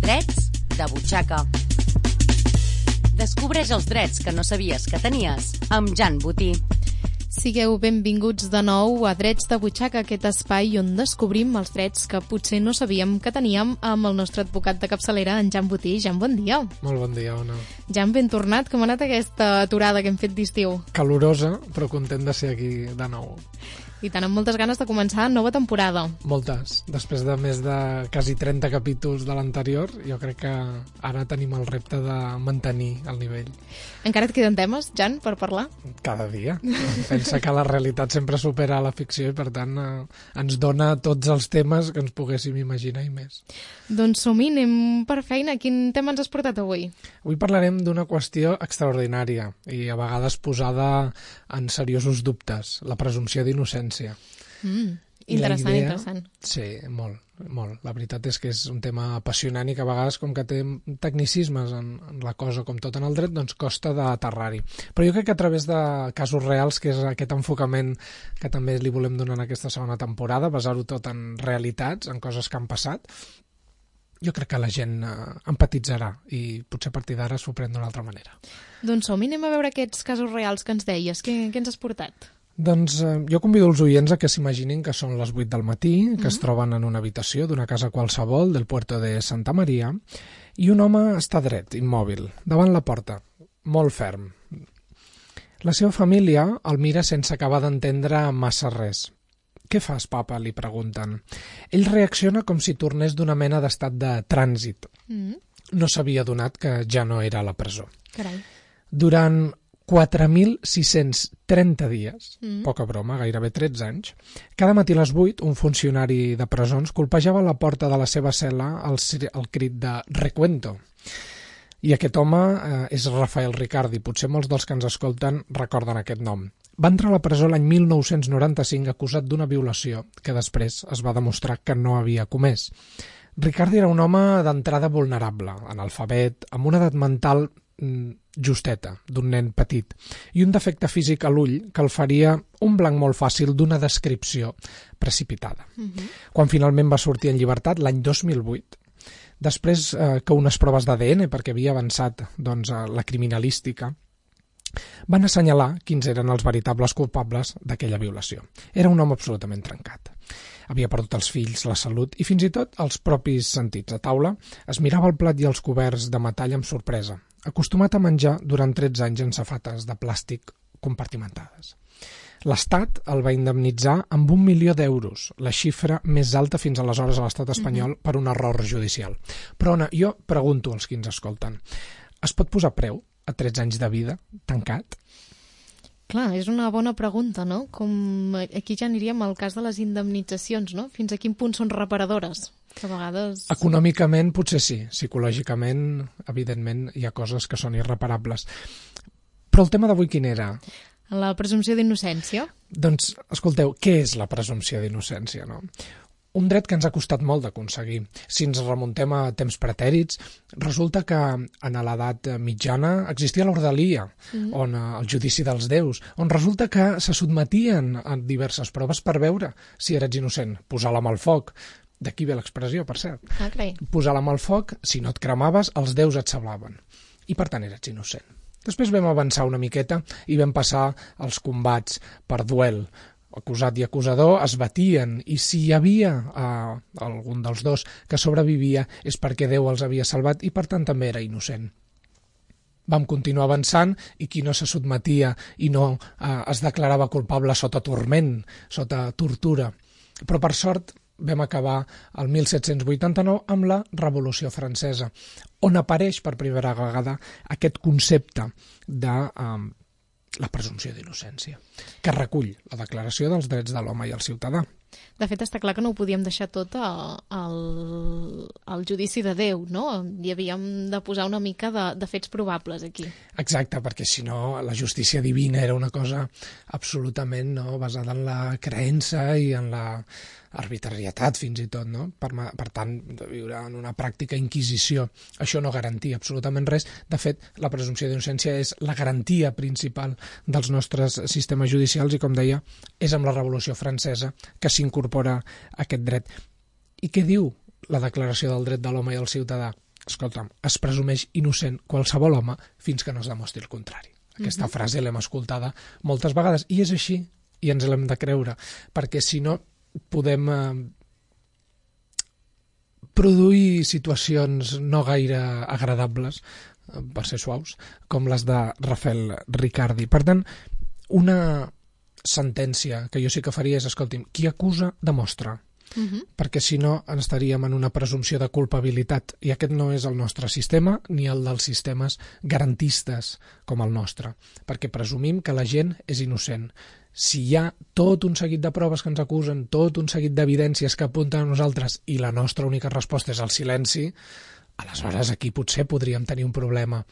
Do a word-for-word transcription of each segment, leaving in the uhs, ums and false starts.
Drets de butxaca. Descobreix els drets que no sabies que tenies amb Jan Botí. Sigueu benvinguts de nou a Drets de butxaca, aquest espai on descobrim els drets que potser no sabíem que teníem amb el nostre advocat de capçalera, en Jan Botí. Jan, bon dia. Molt bon dia, Ona. Jan, ben tornat. Com ha anat aquesta aturada que hem fet d'estiu? Calorosa, però content de ser aquí de nou. I tant, amb moltes ganes de començar nova temporada. Moltes. Després de més de quasi trenta capítols de l'anterior, jo crec que ara tenim el repte de mantenir el nivell. Encara et queden temes, Jan, per parlar? Cada dia. Pensa que la realitat sempre supera la ficció i, per tant, eh, ens dona tots els temes que ens poguéssim imaginar i més. Doncs som-hi, anem per feina. Quin tema ens has portat avui? Avui parlarem d'una qüestió extraordinària i a vegades posada en seriosos dubtes, la presumpció d'innocència. Mm, interessant, idea, interessant. Sí, molt, molt. La veritat és que és un tema apassionant i que a vegades, com que té tecnicismes en, en la cosa, com tot en el dret, doncs costa d'aterrar-hi. Però jo crec que a través de casos reals, que és aquest enfocament que també li volem donar en aquesta segona temporada, basar-ho tot en realitats, en coses que han passat, jo crec que la gent eh, empatitzarà i potser a partir d'ara s'ho pren d'una altra manera. Doncs som-hi, anem a veure aquests casos reals que ens deies. Què, què ens has portat? Doncs eh, jo convido els oients a que s'imaginin que són les vuit del matí, que mm-hmm. es troben en una habitació d'una casa qualsevol del puerto de Santa Maria, i un home està dret, immòbil, davant la porta, molt ferm. La seva família el mira sense acabar d'entendre massa res. «Què fas, papa?», li pregunten. Ell reacciona com si tornés d'una mena d'estat de trànsit. Mm. No s'havia adonat que ja no era a la presó. Carai. Durant quatre mil sis-cents trenta dies, mm. poca broma, gairebé tretze anys, cada matí a les vuit un funcionari de presons colpejava la porta de la seva cel·la al, al crit de «Recuento». I aquest home eh, és Rafael Ricardi. Potser molts dels que ens escolten recorden aquest nom. Va entrar a la presó l'any mil nou-cents noranta-cinc acusat d'una violació que després es va demostrar que no havia comès. Ricardi era un home d'entrada vulnerable, analfabet, amb una edat mental mm, justeta, d'un nen petit, i un defecte físic a l'ull que el faria un blanc molt fàcil d'una descripció precipitada. Uh-huh. Quan finalment va sortir en llibertat, l'any dos mil vuit, després eh, que unes proves d'A D N, perquè havia avançat doncs, la criminalística, van assenyalar quins eren els veritables culpables d'aquella violació. Era un home absolutament trencat. Havia perdut els fills, la salut i fins i tot els propis sentits. A taula es mirava el plat i els coberts de metall amb sorpresa, acostumat a menjar durant tretze anys en safates de plàstic compartimentades. L'Estat el va indemnitzar amb un milió d'euros, la xifra més alta fins aleshores a l'Estat espanyol, mm-hmm. per un error judicial. Però, Ona, jo pregunto als qui ens escolten, es pot posar preu a tretze anys de vida tancat? Clar, és una bona pregunta, no? Com aquí ja aniríem al cas de les indemnitzacions, no? Fins a quin punt són reparadores? Que a vegades... Econòmicament potser sí, psicològicament, evidentment, hi ha coses que són irreparables. Però el tema d'avui quin era? La presumpció d'innocència? Doncs, escolteu, què és la presumpció d'innocència, no? Un dret que ens ha costat molt d'aconseguir. Si ens remuntem a temps pretèrits, resulta que en l'edat mitjana existia l'ordalia, mm. on el judici dels déus, on resulta que se sotmetien a diverses proves per veure si eres innocent. Posar la mà al foc, d'aquí ve l'expressió, per cert. Ah, posar la mà al foc, si no et cremaves, els déus et sablaven. I per tant eres innocent. Després vam avançar una miqueta i vam passar als combats per duel. Acusat i acusador es batien i si hi havia eh, algun dels dos que sobrevivia és perquè Déu els havia salvat i per tant també era innocent. Vam continuar avançant i qui no se sotmetia i no eh, es declarava culpable sota turment, sota tortura. Però per sort vam acabar el mil set-cents vuitanta-nou amb la Revolució Francesa, on apareix per primera vegada aquest concepte de eh, la presumpció d'innocència, que recull la Declaració dels Drets de l'Home i el Ciutadà. De fet, està clar que no ho podíem deixar tot al, al judici de Déu, no? Hi havíem de posar una mica de, de fets probables aquí. Exacte, perquè si no la justícia divina era una cosa absolutament no, basada en la creença i en la arbitrarietat fins i tot, no? Per, per tant, de viure en una pràctica inquisició. Això no garantia absolutament res. De fet, la presumpció d'innocència és la garantia principal dels nostres sistemes judicials i, com deia, és amb la Revolució Francesa que s'incorpora aquest dret. I què diu la Declaració del Dret de l'Home i el Ciutadà? escolta'm, es presumeix innocent qualsevol home fins que no es demostri el contrari. Aquesta Mhm. frase l'hem escoltada moltes vegades, i és així, i ens l'hem de creure, perquè si no podem eh, produir situacions no gaire agradables, eh, per ser suaus, com les de Rafael Riccardi. Per tant, una sentència que jo sí que faria és, escolti'm, qui acusa demostra, Mhm. perquè si no estaríem en una presumpció de culpabilitat, i aquest no és el nostre sistema ni el dels sistemes garantistes com el nostre, perquè presumim que la gent és innocent. Si hi ha tot un seguit de proves que ens acusen, tot un seguit d'evidències que apunten a nosaltres i la nostra única resposta és el silenci, aleshores aquí potser podríem tenir un problema.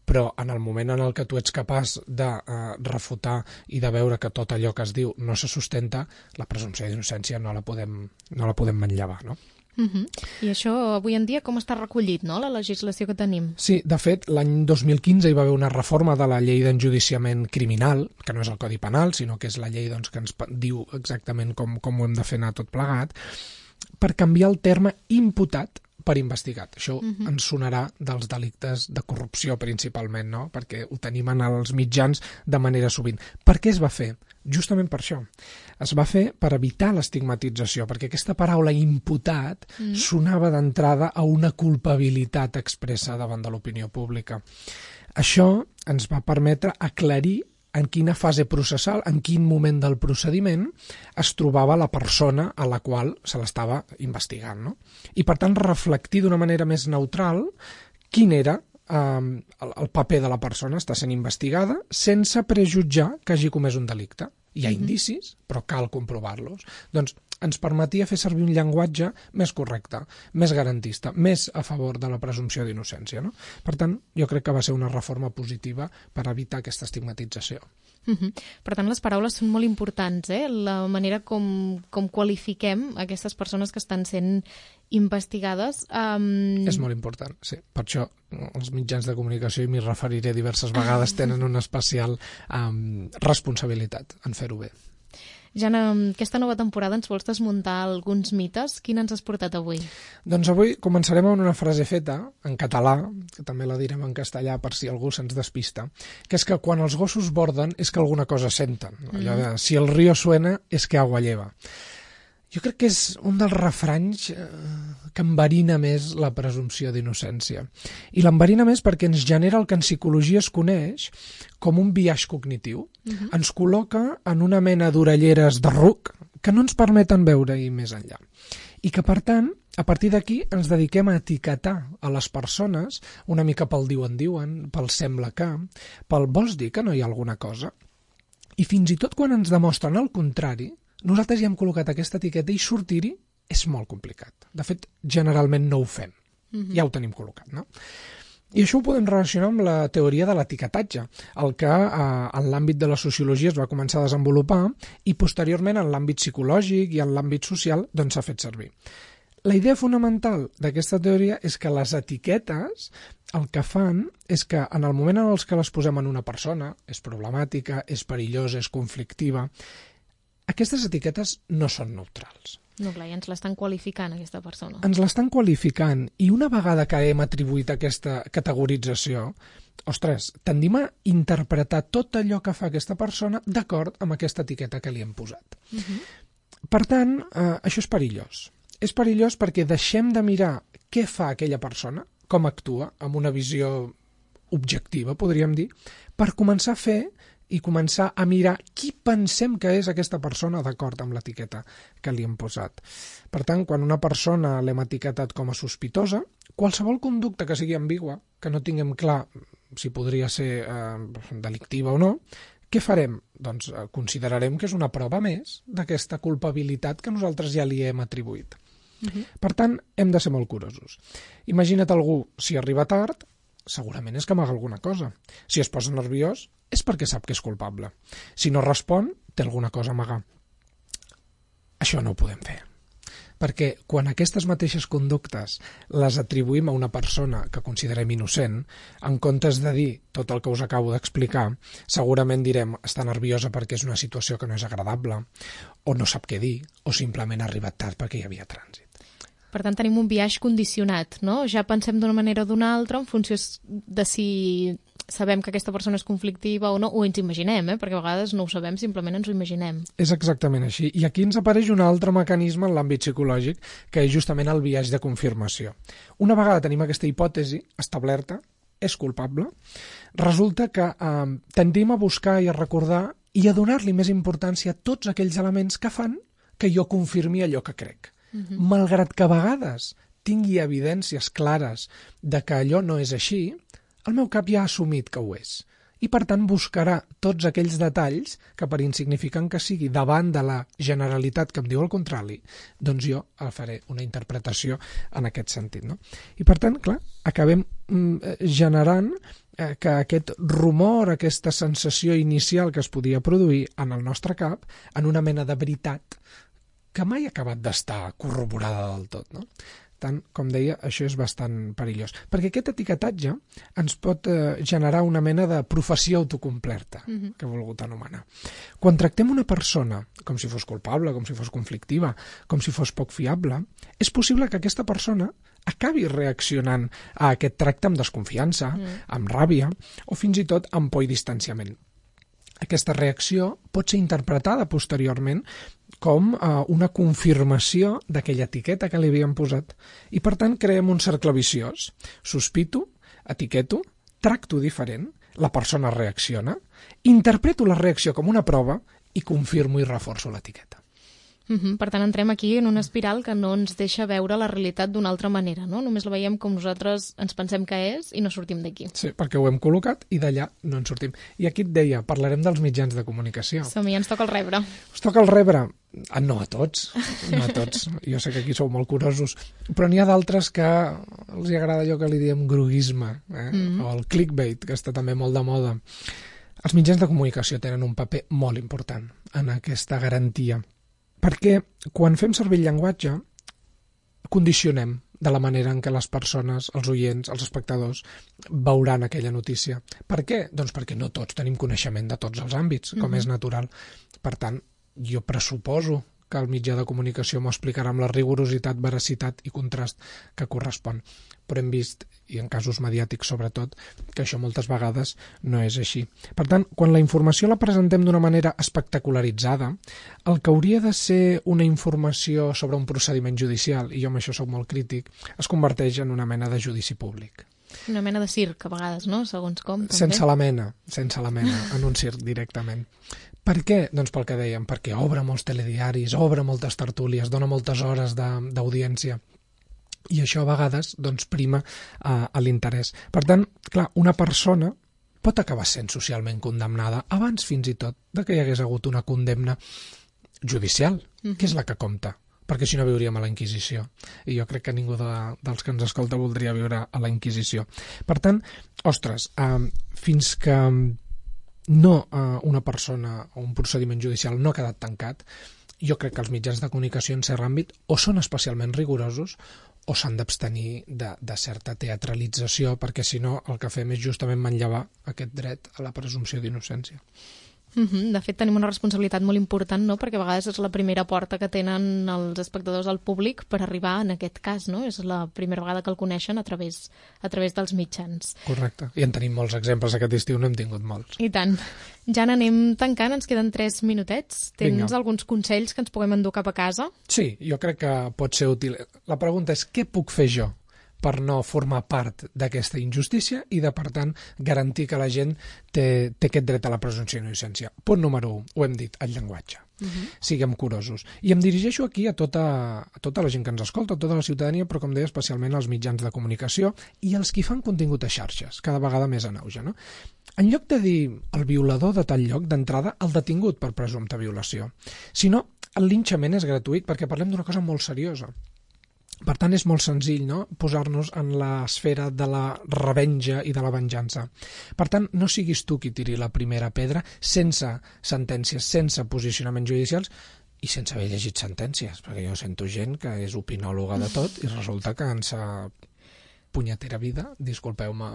Però en el moment en el que tu ets capaç de eh, refutar i de veure que tot allò que es diu no se sustenta, la presumpció d'innocència no la podem, no la podem manllevar, no? Mhm. I això avui en dia com està recollit, no?, la legislació que tenim? Sí, de fet, l'any dos mil quinze hi va haver una reforma de la llei d'enjudiciament criminal, que no és el Codi Penal, sinó que és la llei doncs, que ens diu exactament com, com ho hem de fer anar tot plegat, per canviar el terme imputat per investigat. Això uh-huh. ens sonarà dels delictes de corrupció principalment, no? Perquè ho tenim en els mitjans de manera sovint. Per què es va fer? Justament per això. Es va fer per evitar l'estigmatització, perquè aquesta paraula imputat uh-huh. sonava d'entrada a una culpabilitat expressa davant de l'opinió pública. Això ens va permetre aclarir en quina fase processal, en quin moment del procediment es trobava la persona a la qual se l'estava investigant, no? I, per tant, reflectir d'una manera més neutral quin era eh, el, el paper de la persona. Està sent investigada sense prejutjar que hagi comès un delicte. Hi ha indicis, però cal comprovar-los. Doncs ens permetia fer servir un llenguatge més correcte, més garantista, més a favor de la presumpció d'innocència, no? Per tant, jo crec que va ser una reforma positiva per evitar aquesta estigmatització. Uh-huh. Per tant, les paraules són molt importants, eh? La manera com, com qualifiquem aquestes persones que estan sent investigades. Um... És molt important, sí. Per això els mitjans de comunicació, i m'hi referiré diverses vegades, tenen una especial um, responsabilitat en fer-ho bé. Jana, aquesta nova temporada ens vols desmuntar alguns mites? Quin ens has portat avui? Doncs avui començarem amb una frase feta en català, que també la direm en castellà per si algú se'ns despista, que és que quan els gossos borden és que alguna cosa senten. Allò de, si el río suena és que agua lleva. Jo crec que és un dels refranys eh, que enverina més la presumpció d'innocència. I l'enverina més perquè ens genera el que en psicologia es coneix com un biaix cognitiu. Uh-huh. Ens col·loca en una mena d'orelleres de ruc que no ens permeten veure-hi més enllà. I que, per tant, a partir d'aquí ens dediquem a etiquetar a les persones una mica pel diuen-diuen, pel sembla que, pel vols dir que no hi ha alguna cosa? I fins i tot quan ens demostren el contrari, nosaltres ja hem col·locat aquesta etiqueta i sortir-hi és molt complicat. De fet, generalment no ho fem. Uh-huh. Ja ho tenim col·locat, no? I això ho podem relacionar amb la teoria de l'etiquetatge, el que eh, en l'àmbit de la sociologia es va començar a desenvolupar i posteriorment en l'àmbit psicològic i en l'àmbit social doncs s'ha fet servir. La idea fonamental d'aquesta teoria és que les etiquetes el que fan és que en el moment en els que les posem en una persona, és problemàtica, és perillosa, és conflictiva, aquestes etiquetes no són neutrals. No, clar, ja ens l'estan qualificant, aquesta persona. Ens l'estan qualificant, i una vegada que hem atribuït aquesta categorització, ostres, tendim a interpretar tot allò que fa aquesta persona d'acord amb aquesta etiqueta que li hem posat. Uh-huh. Per tant, eh, això és perillós. És perillós perquè deixem de mirar què fa aquella persona, com actua, amb una visió objectiva, podríem dir, per començar a fer i començar a mirar qui pensem que és aquesta persona d'acord amb l'etiqueta que li hem posat. Per tant, quan una persona l'hem etiquetat com a sospitosa, qualsevol conducta que sigui ambigua, que no tinguem clar si podria ser eh, delictiva o no, què farem? Doncs eh, considerarem que és una prova més d'aquesta culpabilitat que nosaltres ja li hem atribuït. Uh-huh. Per tant, hem de ser molt curosos. Imagina't algú, si arriba tard, segurament és que amaga alguna cosa. Si es posa nerviós, és perquè sap que és culpable. Si no respon, té alguna cosa a amagar. Això no ho podem fer. Perquè quan aquestes mateixes conductes les atribuïm a una persona que considerem innocent, en comptes de dir tot el que us acabo d'explicar, segurament direm està nerviosa perquè és una situació que no és agradable, o no sap què dir, o simplement ha arribat tard perquè hi havia trànsit. Per tant, tenim un biaix condicionat, no? Ja pensem d'una manera o d'una altra en funció de si sabem que aquesta persona és conflictiva o no, o ens imaginem, eh? Perquè a vegades no ho sabem, simplement ens ho imaginem. És exactament així. I aquí ens apareix un altre mecanisme en l'àmbit psicològic, que és justament el biaix de confirmació. Una vegada tenim aquesta hipòtesi establerta, és culpable, resulta que eh, tendim a buscar i a recordar i a donar-li més importància a tots aquells elements que fan que jo confirmi allò que crec. Uh-huh. Malgrat que a vegades tingui evidències clares de que allò no és així, el meu cap ja ha assumit que ho és. I, per tant, buscarà tots aquells detalls que, per insignificant que sigui, davant de la generalitat que em diu el contrari, doncs jo faré una interpretació en aquest sentit, no? I, per tant, clar, acabem mm, generant eh, que aquest rumor, aquesta sensació inicial que es podia produir en el nostre cap, en una mena de veritat que mai ha acabat d'estar corroborada del tot, no? Tant, com deia, això és bastant perillós. Perquè aquest etiquetatge ens pot eh, generar una mena de profecia autocomplerta, uh-huh. que he volgut anomenar. Quan tractem una persona com si fos culpable, com si fos conflictiva, com si fos poc fiable, és possible que aquesta persona acabi reaccionant a aquest tracte amb desconfiança, uh-huh. amb ràbia, o fins i tot amb por i distanciament. Aquesta reacció pot ser interpretada posteriorment com eh, una confirmació d'aquella etiqueta que li havíem posat. I, per tant, creem un cercle viciós. Sospito, etiqueto, tracto diferent, la persona reacciona, interpreto la reacció com una prova i confirmo i reforço l'etiqueta. Uh-huh. Per tant, entrem aquí en una espiral que no ens deixa veure la realitat d'una altra manera, no? Només la veiem com nosaltres ens pensem que és i no sortim d'aquí. Sí, perquè ho hem col·locat i d'allà no en sortim. I aquí et deia, parlarem dels mitjans de comunicació. Som-hi, ens toca el rebre. Us toca el rebre? Ah, no a tots, no a tots. Jo sé que aquí sou molt curosos, però n'hi ha d'altres que els agrada allò que li diem groguisme, eh? Mm-hmm. O el clickbait, que està també molt de moda. Els mitjans de comunicació tenen un paper molt important en aquesta garantia. Perquè quan fem servir el llenguatge, condicionem de la manera en què les persones, els oients, els espectadors, veuran aquella notícia. Per què? Doncs perquè no tots tenim coneixement de tots els àmbits, com mm-hmm. és natural. Per tant, jo pressuposo que el mitjà de comunicació m'ho explicarà amb la rigorositat, veracitat i contrast que correspon. Però hem vist, i en casos mediàtics sobretot, que això moltes vegades no és així. Per tant, quan la informació la presentem d'una manera espectacularitzada, el que hauria de ser una informació sobre un procediment judicial, i jo amb això soc molt crític, es converteix en una mena de judici públic. Una mena de circ, a vegades, no? Segons com, també. Sense la mena, sense la mena, en un circ directament. Per què? Doncs pel que dèiem, perquè obre molts telediaris, obre moltes tertúlies, dona moltes hores d'audiència. I això a vegades doncs, prima a, a l'interès. Per tant, clar, una persona pot acabar sent socialment condemnada abans fins i tot de que hi hagués hagut una condemna judicial, mm-hmm. que és la que compta. Perquè si no viuríem a la Inquisició. I jo crec que ningú de, dels que ens escolta voldria viure a la Inquisició. Per tant, ostres, eh, fins que no eh, una persona o un procediment judicial no ha quedat tancat, jo crec que els mitjans de comunicació en cert àmbit o són especialment rigorosos o s'han d'abstenir de, de certa teatralització, perquè si no el que fem és justament manllevar aquest dret a la presumpció d'innocència. Mm-hmm. De fet, tenim una responsabilitat molt important, no? Perquè a vegades és la primera porta que tenen els espectadors al públic per arribar en aquest cas, no? És la primera vegada que el coneixen a través, a través dels mitjans. Correcte. I en tenim molts exemples. Aquest estiu n'hem tingut molts. I tant. Ja n'anem tancant, ens queden tres minutets. Tens Vinga. Alguns consells que ens puguem endur cap a casa? Sí, jo crec que pot ser útil. La pregunta és què puc fer jo per no formar part d'aquesta injustícia i de, per tant, garantir que la gent té, té aquest dret a la presumpció d'innocència. Punt número un, ho hem dit, el llenguatge. Uh-huh. Siguem curosos. I em dirigeixo aquí a tota, a tota la gent que ens escolta, a tota la ciutadania, però, com deia, especialment als mitjans de comunicació i als qui fan contingut a xarxes, cada vegada més en auge, no? En lloc de dir el violador de tal lloc, d'entrada, el detingut per presumpta violació. Si no, el linxament és gratuït perquè parlem d'una cosa molt seriosa. Per tant, és molt senzill, no?, posar-nos en l'esfera de la revenja i de la venjança. Per tant, no siguis tu qui tiri la primera pedra sense sentències, sense posicionaments judicials i sense haver llegit sentències, perquè jo sento gent que és opinòloga de tot i resulta que en sa punyetera vida, disculpeu-me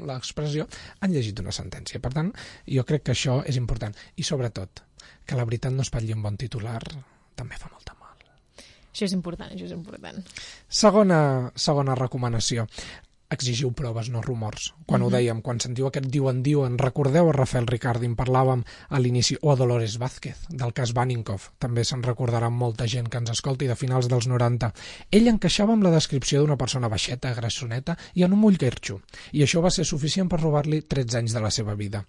l'expressió, han llegit una sentència. Per tant, jo crec que això és important. I sobretot, que la veritat no espatlli un bon titular també fa molta mal. Això és important, això és important. Segona, segona recomanació. Exigiu proves, no rumors. Quan mm-hmm. ho dèiem, quan sentiu aquest diuen-diuen, recordeu a Rafael Riccardi, en parlàvem a l'inici, o a Dolores Vázquez, del cas Baninkoff. També se'n recordarà molta gent que ens escolti de finals dels noranta. Ell encaixava amb la descripció d'una persona baixeta, grassoneta i en un mull guerxo. I això va ser suficient per robar-li tretze anys de la seva vida.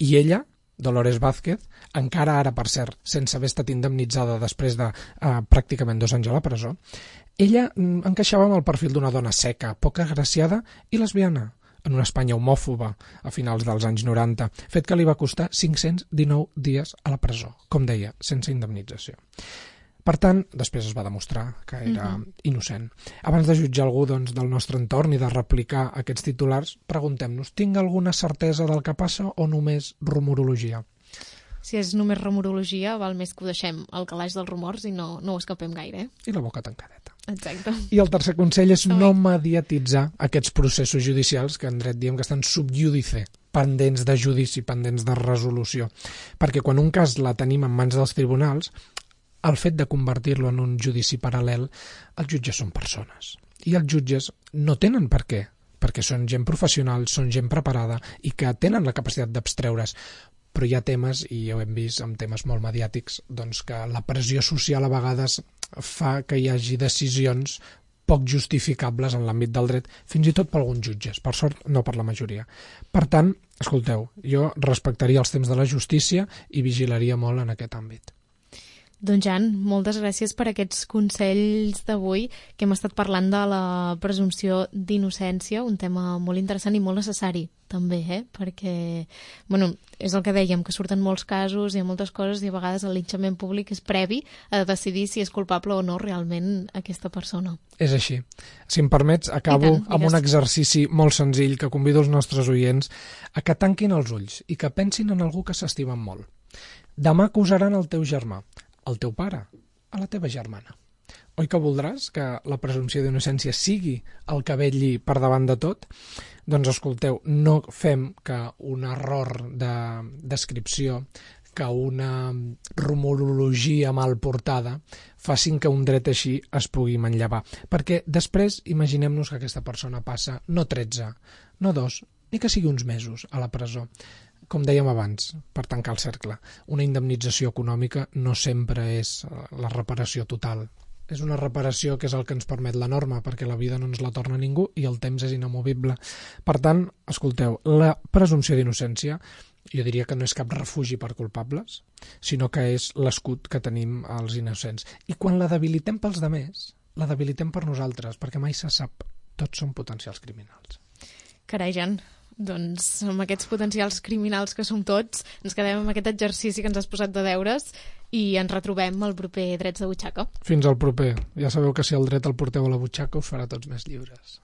I ella, Dolores Vázquez, encara ara, per cert, sense haver estat indemnitzada després de eh, pràcticament dos anys a la presó, ella encaixava amb el perfil d'una dona seca, poc agraciada i lesbiana, en una Espanya homòfoba a finals dels anys noranta, fet que li va costar cinc-cents dinou dies a la presó, com deia, sense indemnització. Per tant, després es va demostrar que era uh-huh. innocent. Abans de jutjar algú doncs, del nostre entorn i de replicar aquests titulars, preguntem-nos, tinc alguna certesa del que passa o només rumorologia? Si és només rumorologia, val més que ho deixem al calaix dels rumors i no, no ho escapem gaire. Eh? I la boca tancadeta. Exacte. I el tercer consell és no mediatitzar aquests processos judicials que en dret diem que estan sub judice, pendents de judici, pendents de resolució. Perquè quan un cas la tenim en mans dels tribunals, el fet de convertir-lo en un judici paral·lel, els jutges són persones. I els jutges no tenen per què, perquè són gent professional, són gent preparada i que tenen la capacitat d'abstreure's. Però hi ha temes, i ja ho hem vist amb temes molt mediàtics, doncs que la pressió social a vegades fa que hi hagi decisions poc justificables en l'àmbit del dret, fins i tot per alguns jutges, per sort no per la majoria. Per tant, escolteu, jo respectaria els temps de la justícia i vigilaria molt en aquest àmbit. Doncs Jan, moltes gràcies per aquests consells d'avui, que hem estat parlant de la presumpció d'innocència, un tema molt interessant i molt necessari també, eh? Perquè, bueno, és el que dèiem, que surten molts casos i moltes coses i a vegades el linxament públic és previ a decidir si és culpable o no realment aquesta persona. És així. Si em permets, acabo tant, amb un exercici molt senzill que convido els nostres oients a que tanquin els ulls i que pensin en algú que s'estimen molt. Demà acusaran el teu germà, el teu pare, a la teva germana. Oi que voldràs que la presumpció d'innocència sigui el que vetlli per davant de tot? Doncs escolteu, no fem que un error de descripció, que una rumorologia mal portada facin que un dret així es pugui manllevar. Perquè després imaginem-nos que aquesta persona passa no tretze, no dos, ni que sigui uns mesos a la presó. Com dèiem abans, per tancar el cercle, una indemnització econòmica no sempre és la reparació total. És una reparació que és el que ens permet la norma, perquè la vida no ens la torna ningú i el temps és inamovible. Per tant, escolteu, la presumpció d'innocència jo diria que no és cap refugi per culpables, sinó que és l'escut que tenim als innocents. I quan la debilitem pels demés, la debilitem per nosaltres, perquè mai se sap, tots som potencials criminals. Carai, Jan, doncs amb aquests potencials criminals que som tots, ens quedem amb aquest exercici que ens has posat de deures i ens retrobem al proper Drets de Butxaca. Fins al proper. Ja sabeu que si el dret el porteu a la butxaca us farà tots més lliures.